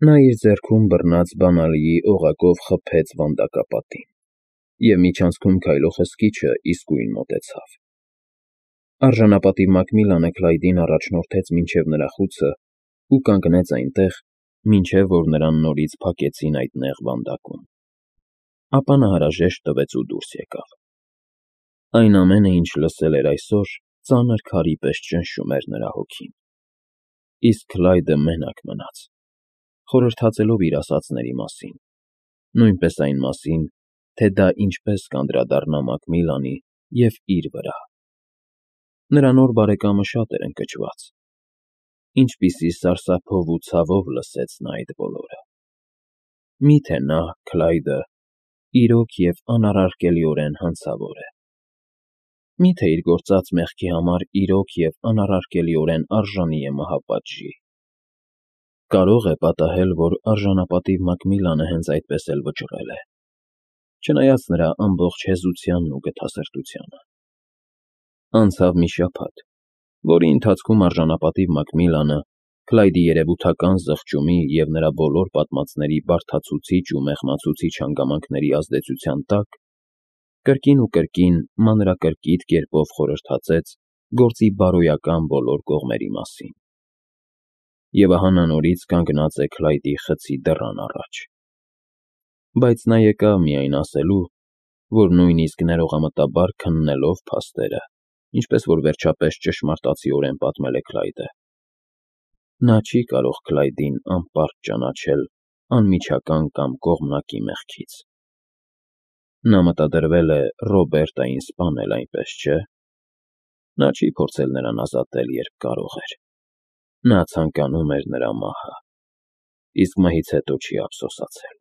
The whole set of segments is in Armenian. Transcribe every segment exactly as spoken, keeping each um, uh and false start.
Նա իր ձեռքում բռնած բանալիի օղակով խփեց վանդակապատին, և միջանցքում քայլող հսկիչը իսկույն մոտեցավ. Արժանապատիվ Մակմիլլանը Քլայդին առաջնորդեց մինչև նրա խուցն ու կանգնեց այնտեղ, մինչև որ նրան նորից փակեցին այդ նեղ վանդակում, ապա նա հարաժեշտ տվեց ու դուրս եկավ. այն ամենը, ինչ լսել էր այսօր, ծանր քարի պես ճնշում էր նրա հոգին, իսկ Քլայդը մենակ մնաց, խորհրդածելով իր ասածների մասին, նույնպես այն մասին, թե դա ինչպես կանդրադառնա Մակմիլլանի և իր վրա. նրա նոր բարեկամը շատ էր ընկճված, ինչպիսի սարսափով ու ցավով լսեց նա այդ բոլորը. միթե նա, Քլայդը, իրոք և անառարկելիորեն հանցավոր է, միթե իր գործած մեղքի համար իրոք և անառարկելիորեն արժանի է մահապատժի, կարող է պատահել, որ արժանապատիվ Մակմիլլանը հենց այդպես էլ վճռել է, չնայած նրա ամբողջ հեզությանն ու գթասրտությանը. Անցավ մի շաբաթ, որի ընթացքում արժանապատիվ Մակմիլլանը, Քլայդի երևութական զղջումի և նրա բոլոր պատմածների բարդացուցիչ ու մեղմացուցիչ հանգամանքների ազդեցության տակ, կրկին ու կրկին մանրակրկիտ կերպով խորհրդածեց գործի բարոյական բոլոր կողմերի մասին, և ահա նա նորից կանգնած է Քլայդի խցի դռան առաջ, բայց նա եկավ միայն ասելու, որ նույնիսկ ներողամտաբար քննելով փաստերը, ինչպես որ վերջապես ճշմարտացիորեն պատմել է Քլայդը, նա չի կարող Քլայդին անպարտ ճանաչել անմիջական կամ կողմնակի մեղքից. նա մտադրվել է Ռոբերտային սպանել, այնպես չէ՞, նա չի փորձել նրան ազատել, երբ կարող էր, նա ցանկանում էր նրա մահը, իսկ մահից հետո չի ափսոսացել,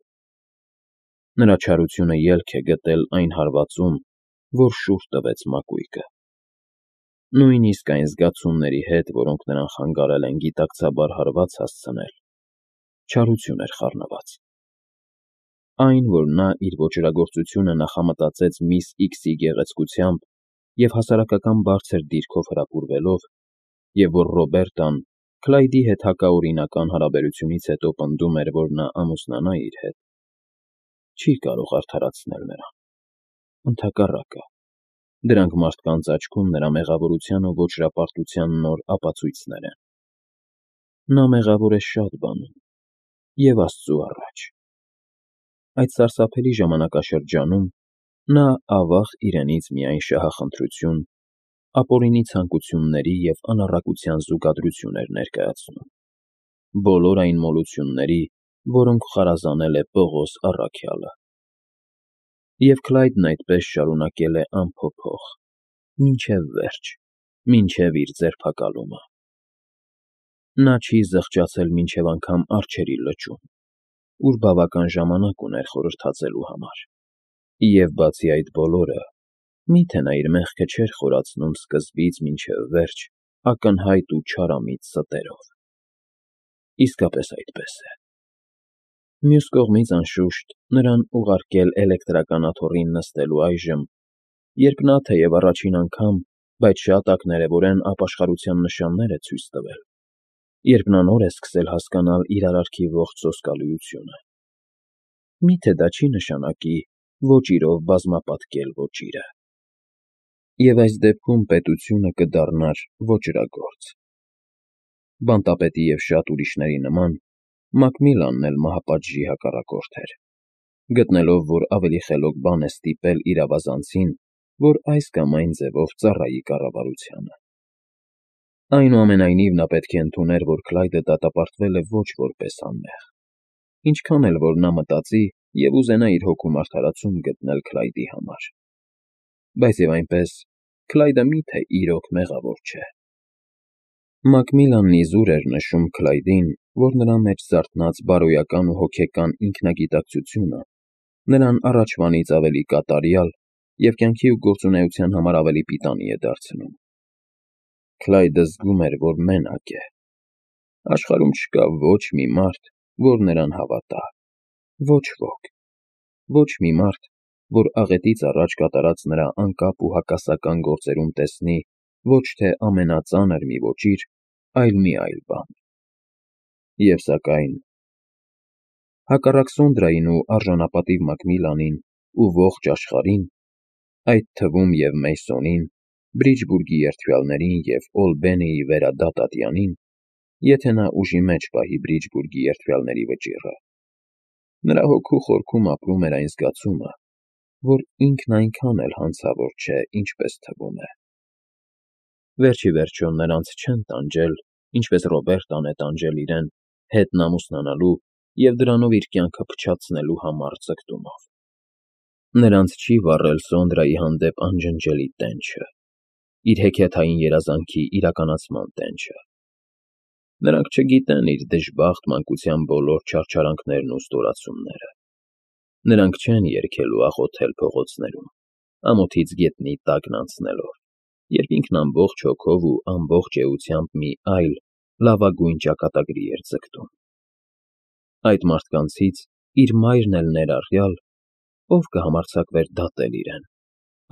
նրա չարությունը ելք է գտել այն հարվածում, որ շուռ տվեց մակույկը, նույնիսկ այն զգացումների հետ, որոնք նրան խանգարել են գիտակցաբար հարված հասցնել, չարություն էր խառնված, այն, որ նա իր ոճրագործությունը նախամտածեց միս Իքսի գեղեցկությամբ և հասարակական բարձր դիրքով հրապուրվելով, և որ Ռոբերտան Քլայդի հետ հակաօրինական հարաբերությունից հետո պնդում էր, որ նա ամուսնանա իր հետ, չի կարող արդարացնել նրան, ընդհակառակը, դրանք մարդկանց աչքում նրա մեղավորության ու ոճրապարտության նոր ապացույցներ են, նա մեղավոր է շատ բանում և Աստծու առաջ, այդ սարսափելի ժամանակաշրջանում նա ավաղ իրենից միայն շահախնդրություն, ապօրինի ցանկությունների և անառակության զուգադրություն էր ներկայացնում, բոլոր այն մոլությունների, որոնք խարազանել է Պողոս առաքյալը, և Քլայդն այդպես շարունակել է անփոփոխ, մինչև վերջ, մինչև իր ձերբակալումը, նա չի զղջացել մինչև անգամ արջերի լճում, ուր բավական ժամանակ ուներ խորհրդածելու համար, և բացի այդ բոլորը, միթե նա իր մեղքը չէր խորացնում սկզբից մինչև վերջ ակնհայտ ու չարամիտ ստերով, իսկապես այդպես է, մյուս կողմից, անշուշտ, նրան ուղարկել էլեկտրական աթոռին նստելու այժմ, երբ նա թեև առաջին անգամ, բայց շատ ակներևորեն ապաշխարության նշաններ է ցույց տվել, երբ նա նոր է սկսել հասկանալ իր արարքի ողջ սոսկալիությունը, միթե դա չի նշանակի ոճիրով բազմապատկել ոճիրը, և այս դեպքում պետությունը կդառնար ոճրագործ, բանտապետի և շատ ուրիշների նման, Մակմիլլանն էլ մահապատժի հակառակորդ էր, գտնելով, որ ավելի խելոք բան է ստիպել իր ավազանցին, որ այս կամ այն ձևով ծառայի կառավարությանը, այնուամենայնիվ նա պետք է ընդուներ, որ Քլայդը դատապարտվել է ոչ որպես անմեղ, ինչքան էլ որ նա մտածի և ուզենա իր հոգում արդարացում գտնել Քլայդի համար, բայց և այնպես, Քլայդը միթե իրոք մեղավոր չէ, Մակմիլլանն իզուր էր նշում Քլայդին, որ նրա մեջ զարթնած բարոյական ու հոգեկան ինքնագիտակցությունը նրան առաջվանից ավելի կատարյալ և կյանքի ու գործունեության համար ավելի պիտանի է դարձնում, Քլայդը զգում էր, որ մենակ է, աշխարհում չկա ոչ մի մարդ, որ նրան հավատա, ոչ ոք, ոչ մի մարդ, որ աղետից առաջ կատարած նրա անկապ ու հակասական գործերում տեսնի ոչ թե ամենածանր մի ոճիր, այլ մի այլ բան, և սակայն Հակառակ Սոնդրային ու արժանապատիվ Մակմիլանին ու ողջ աշխարհին, այդ թվում և Մեյսոնին, Բրիջբուրգի երդվյալներին և Օլբենեի վերադատատյանին, եթե նա ուժի մեջ պահի Բրիջբուրգի երդվյալների վճիռը, նրա հոգու խորքում ապրում էր այն զգացումը, որ ինքն այնքան էլ հանցավոր չէ, ինչպես թվում է։ Վերջ ի վերջո նրանց չեն տանջել, ինչպես Ռոբերտան է տանջել իրեն, հետն ամուսնանալու և դրանով իր կյանքը փչացնելու համառ ձգտումով։ Նրանց չի վառել Սոնդրայի հանդեպ անջնջելի տենչը, իր հեքիաթային երազանքի իրականացման տենչը։ Նրանք չգիտեն իր դժբախտ մանկության բոլոր չարչարանքներն ու ստորացումները։ Նրանք չեն երգել ու աղոթել փողոցներում, ամոթից գետնի տակն անցնելով, երբ ինքն ամբողջ հոգով ու ամբողջ էությամբ մի այլ, լավագույն ճակատագրի էր ձգտում։ Այդ մարդկանցից, իր մայրն էլ ներառյալ, ով կհամարձակվեր դատել իրեն,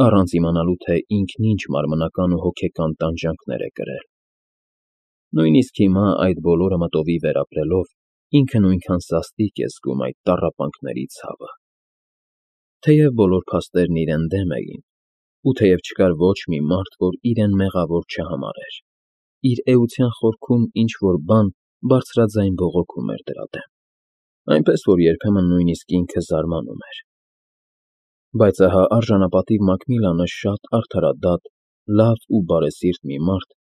առանց իմանալու, թե ինքն ինչ մարմնական ու հոգեկան տանջանքներ է կրել։ Նույնիսկ հիմա այդ բոլորը մտովի վերապրելով, ինքը նույնքան սաստիկ է զգում այդ տառապանքների ցավը։ Թեև բոլոր փաստերն իրեն դեմ էին, ու թեև չկար ոչ մի մարդ, որ իրեն մեղավոր չհամարեր, իր էության խորքում ինչ-որ բան բարձրաձայն բողոքում էր դրա դեմ, այնպես որ երբեմն նույնիսկ ինքը զարմանում էր։ Բայց ահա արժանապատիվ Մակմիլանը շատ արդարադատ, լավ ու բարեսիրտ մի մարդ,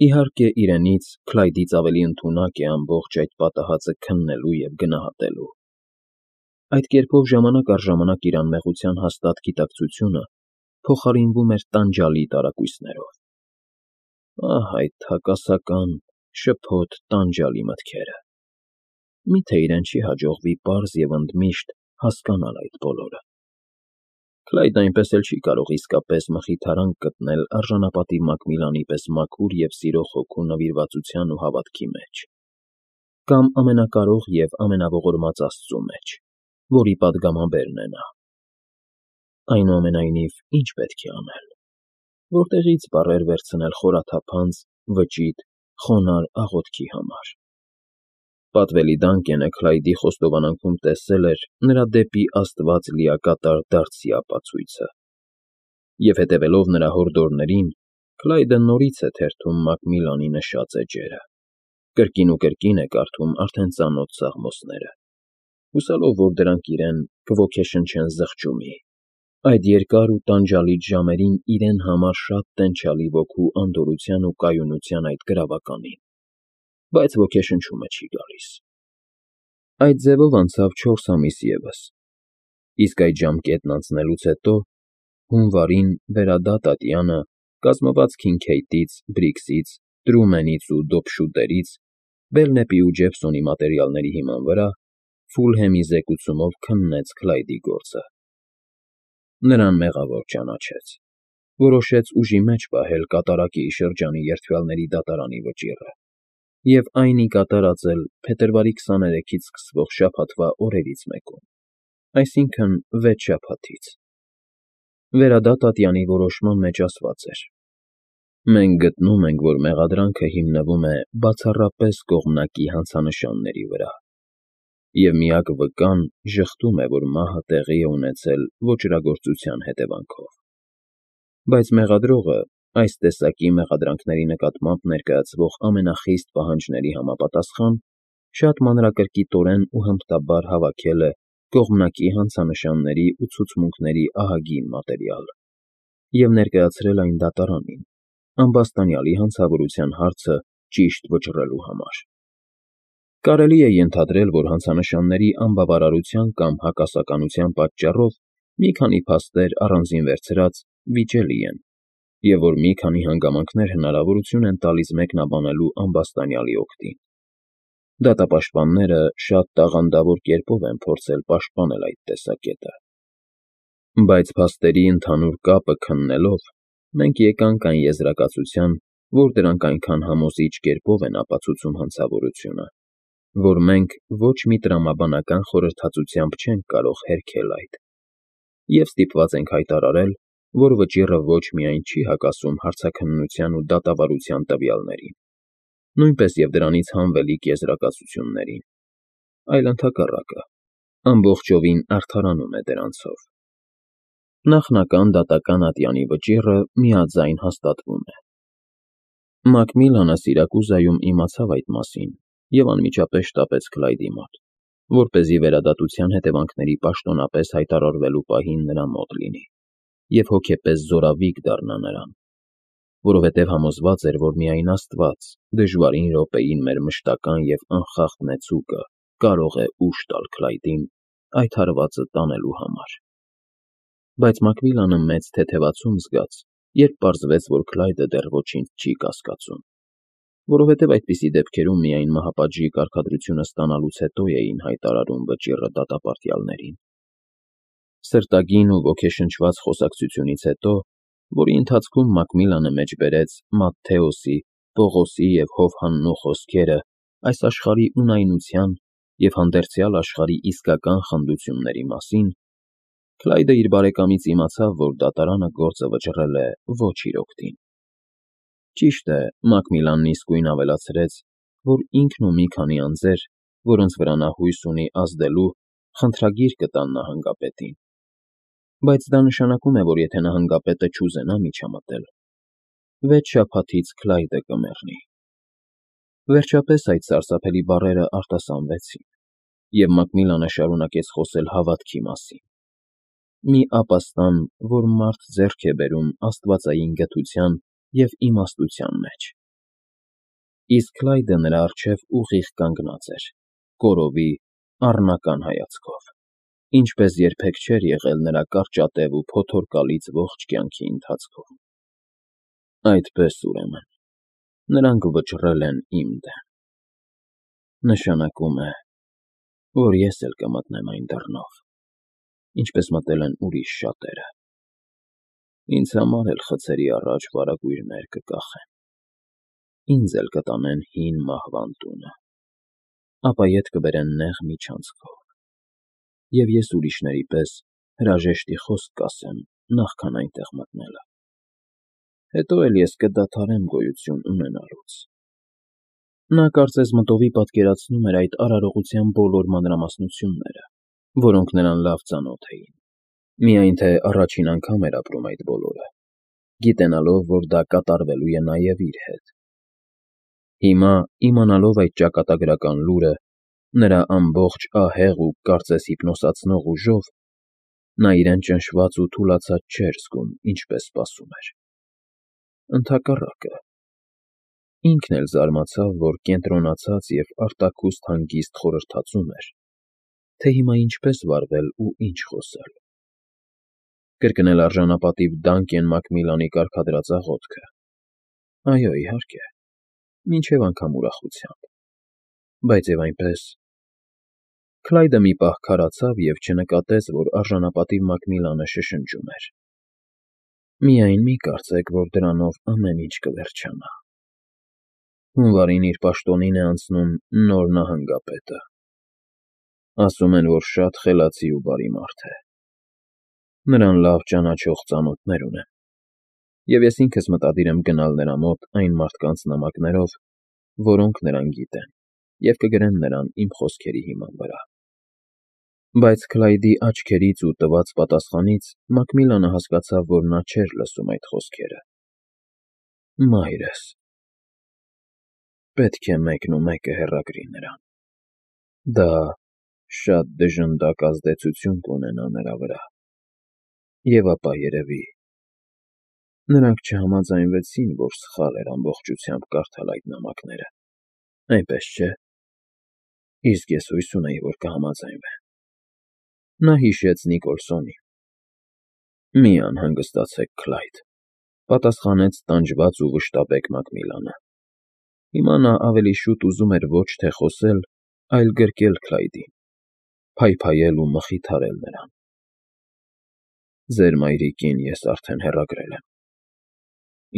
իհարկե իրենից, Քլայդից ավելի ընդունակ է ամբողջ այդ պատահածը քննելու և գնահատելու։ Այդ կերպով ժամանակ առ ժամանակ իր անմեղության հաստատ գիտակցությունը փոխարինվում էր տանջալի տարակույսներով։ Ահ, այդ հակասական, շփոթ, տանջալի մտքերը։ Մի՞թե իրեն չի հաջողվի պարզ և ընդմիշտ հասկանալ այդ բոլորը։ Քլայդն այնպես էլ չի կարող իսկապես մխիթարանք գտնել արժանապատիվ Մակմիլանի պես մաքուր և սիրող հոգու նվիրվածության ու հավատքի մեջ, կամ ամենակարող և ամենաողորմած Աստծու մեջ, որի պատգամաբերն է նա։ Այնուամենայնիվ, ի՞նչ պետք է անել, որտեղի՞ց բառեր վերցնել խորաթափանց, վճիտ, խոնարհ աղոթքի համար։ Պատվելի Դանկենը Քլայդի խոստովանանքում տեսել էր նրա դեպի Աստված լիակատար դարձի ապացույցը։ Եվ հետևելով նրա հորդորներին, Քլայդը նորից է թերթում Մակմիլանի նշած էջերը, կրկին ու կրկին է կարդում արդեն ծանոթ սաղմոսները, հուսալով, որ դրանք իրեն կոգեշնչեն զղջումի, այդ երկար ու տանջալից ժամերին իրեն համար շատ տենչալի ոգու անդորրության ու կայունության այդ գրավականին, բայց ոգեշնչումը չի գալիս։ Այդ ձևով անցավ չորս ամիս ևս, իսկ այդ ժամկետն անցնելուց հետո հունվարին վերադատատյանը, կազմված Քինքեյթից, Բրիքսից, Տրումենից ու Դոփշուտերից, Բելնեպի ու Ջեփսոնի մատերիալների հիման վրա, Ֆուլհեմի զեկուցումով քննեց Քլայդի գործը։ Նրան մեղավոր ճանաչեց, որոշեց ուժի մեջ պահել կատարակի շրջանի երդվյալների դատարանի վճիռը և այն ի կատար ածել փետրվարի քսաներեքից սկսվող շաբաթվա օրերից մեկում, այսինքն՝ վեց շաբաթից։ Վերադատատյանի որոշման մեջ ասված էր. «Մենք գտնում ենք, որ մեղադրանքը հիմնվում է բացառապես կողմնակի հանցանշանների վրա, և միակ վկան ժխտում է, որ մահը տեղի է ունեցել ոճրագործության հետևանքով։ Բայց մեղադրողը, այս տեսակի մեղադրանքների նկատմամբ ներկայացվող ամենախիստ պահանջների համապատասխան, շատ մանրակրկիտորեն ու հմտաբար հավաքել է կողմնակի հանցանշանների ու ցուցմունքների ահագին մատերիալ և ներկայացրել այն դատարանին, ամբաստանյալի հանցավորության հարցը ճիշտ վճռելու համար։ Կարելի է ենթադրել, որ հանցանշանների անբավարարության կամ հակասականության պատճառով մի քանի փաստեր առանձին վերցրած վիճելի են, և որ մի քանի հանգամանքներ հնարավորություն են տալիս մեկնաբանելու ամբաստանյալի օգտին։ Դատապաշտպանները շատ տաղանդավոր կերպով են փորձել պաշտպանել այդ տեսակետը։ Բայց փաստերի ընդհանուր կապը քննելով, մենք եկանք այն եզրակացության, որ դրանք այնքան համոզիչ կերպով են ապացուցում հանցավորությունը, որ մենք ոչ մի տրամաբանական խորհրդածությամբ չենք կարող հերքել այդ, և ստիպված ենք հայտարարել, որ վճիռը ոչ միայն չի հակասում հարցաքննության ու դատավարության տվյալներին, նույնպես և դրանից հանվելիք եզրակացություններին, այլ ընդհակառակը, ամբողջովին արդարանում է դրանցով։ Նախնական դատական ատյանի վճիռը միաձայն հաստատվում է։ Մակմիլանը Սիրակուզայում իմացավ այդ մասին և անմիջապես շտապեց Քլայդի մոտ, որպեսզի վերադատության հետևանքների պաշտոնապես հայտարարվելու պահին նրա մոտ լինի և հոգեպես զորավիգ դառնա նրան, որովհետև համոզված էր, որ միայն Աստված դժվարին րոպեին մեր մշտական և անխախտ նեցուկը կարող է ուժ տալ Քլայդին այդ հարվածը տանելու համար։ Բայց Մակմիլանը մեծ թեթևացում զգաց, երբ պարզվեց, որ Քլայդը դեռ ոչինչ չի կասկածում, որովհետև այդպիսի դեպքերում միայն մահապատժի կարգադրությունը ստանալուց հետո էին հայտարարում վճիռը դատապարտյալներին։ Սրտագին ու ոգեշնչված խոսակցությունից հետո, որի ընթացքում Մակմիլանը մեջբերեց Մատթեոսի, Պողոսի և Հովհաննու խոսքերը այս աշխարհի ունայնության և հանդերձյալ աշխարհի իսկական խնդությունների մասին, Քլայդը իր բարեկամից իմացավ, որ դատարանը գործը վճռել է ոչ իր օգտին։ Ճիշտ է, Մակմիլանն իսկույն ավելացրեց, որ ինքն ու մի քանի անձեր, որոնց վրա նա հույս ունի ազդելու, խնդրագիր կտան նահանգապետին, բայց դա նշանակում է, որ եթե նահանգապետը չուզենա միջամտել, վեց շաբաթից Քլայդը կմեռնի։ Վերջապես այդ սարսափելի բառերը արտասանվեցին, և Մակմիլանը շարունակեց խոսել հավատքի մասին, մի ապաստան, որ մարդ ձեռք է բերում աստվածային գթության և իմաստության մեջ։ Իսկ Քլայդը նրա առջև ուղիղ կանգնած էր, կորովի, առնական հայացքով, ինչպես երբեք չէր եղել նրա կարճատև ու փոթորկալից ողջ կյանքի ընթացքում։ Այդպես, ուրեմն, նրանք վճռել են իմ դեմ։ Նշանակում է, որ ես էլ կմտնեմ այն դռնով, ինչպես մտել են ուրիշ շատերը։ Ինձ համար էլ խցերի առաջ վարագույրներ կկախեն, ինձ էլ կտանեն հին մահվան տունը, ապա ետ կբերեն նեղ միջանցքով, և ես ուրիշների պես հրաժեշտի խոսք կասեմ նախքան այնտեղ մտնելը։ Հետո էլ ես կդադարեմ գոյություն ունենալուց։ Նա կարծես մտովի պատկերացնում էր այդ արարողության բոլոր մանրամասնությունները, որոնք նրան լավ ծանոթ էին, միայն թե առաջին անգամ էր ապրում այդ բոլորը, գիտենալով, որ դա կատարվելու է նաև իր հետ։ Հիմա, իմանալով այդ ճակատագրական լուրը, նրա ամբողջ ահեղ ու կարծես հիպնոսացնող ուժով, նա իրեն ճնշված ու թուլացած չէր զգում, ինչպես սպասում էր։ Ընդհակառակը, ինքն էլ զարմացավ, որ կենտրոնացած և արտաքուստ հանգիստ խորհրդածում էր, թե հիմա ինչպես վարվել ու ինչ խոսել։ Կրկնել արժանապատիվ Դանկեն Մակմիլանի կարգադրած աղոթքը։ Այո, իհարկե, մինչև անգամ ուրախությամբ, բայց և այնպես… Քլայդը մի պահ քարացավ և չնկատեց, որ արժանապատիվ Մակմիլանը շշնջում էր. «Միայն մի կարծեք, որ դրանով ամեն ինչ կվերջանա։ Հունվարին իր պաշտոնին է անցնում նոր նահանգապետը։ Ասում են, որ շատ խելացի ու բարի մարդ է։ Նրան լավ ճանաչող ծանոթներ ունեմ, և ես ինքս մտադիր եմ գնալ նրա մոտ այն մարդկանց նամակներով, որոնք նրան գիտեն, և կգրեն նրան իմ խոսքերի հիման վրա»։ Բայց Քլայդի աչքերից ու տված պատասխանից Մակմիլանը հասկացավ, որ նա չէր լսում այդ խոսքերը։ Մայրս… Պետք է մեկնումեկը հեռագրի նրան։ Դա շատ դժնդակ ազդեցություն կունենա նրա վրա։ Եվ ապա, երևի, նրանք չհամաձայնվեցին, որ սխալ էր ամբողջությամբ կարդալ այդ նամակները, այնպես չէ՞։ Իսկ ես հույս ունեի, որ կհամաձայնվեն։ Նա հիշեց Նիկոլսոնին։ Մի անհանգստացեք, Քլայդ, պատասխանեց տանջված ու վշտաբեկ Մակմիլանը։ Հիմա նա ավելի շուտ ուզում էր ոչ թե խոսել, այլ գրկել Քլայդին, փայփայել ու մխիթարել նրան։ Ձեր մայրիկին ես արդեն հեռագրել եմ։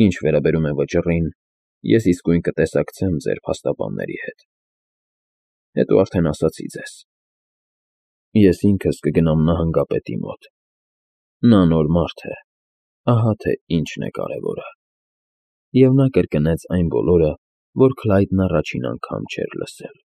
Ինչ վերաբերում է վճռին, ես իսկույն կտեսակցեմ ձեր փաստաբանների հետ։ Հետո արդեն ասացի ձեզ։ Ես ինքս կգնամ նահանգապետի մոտ։ Նա նոր մարդ է, ահա թե ինչն է կարևորը։ Եվ նա կրկնեց այն բոլորը, որ Քլայդն առաջին անգամ չէր լսել։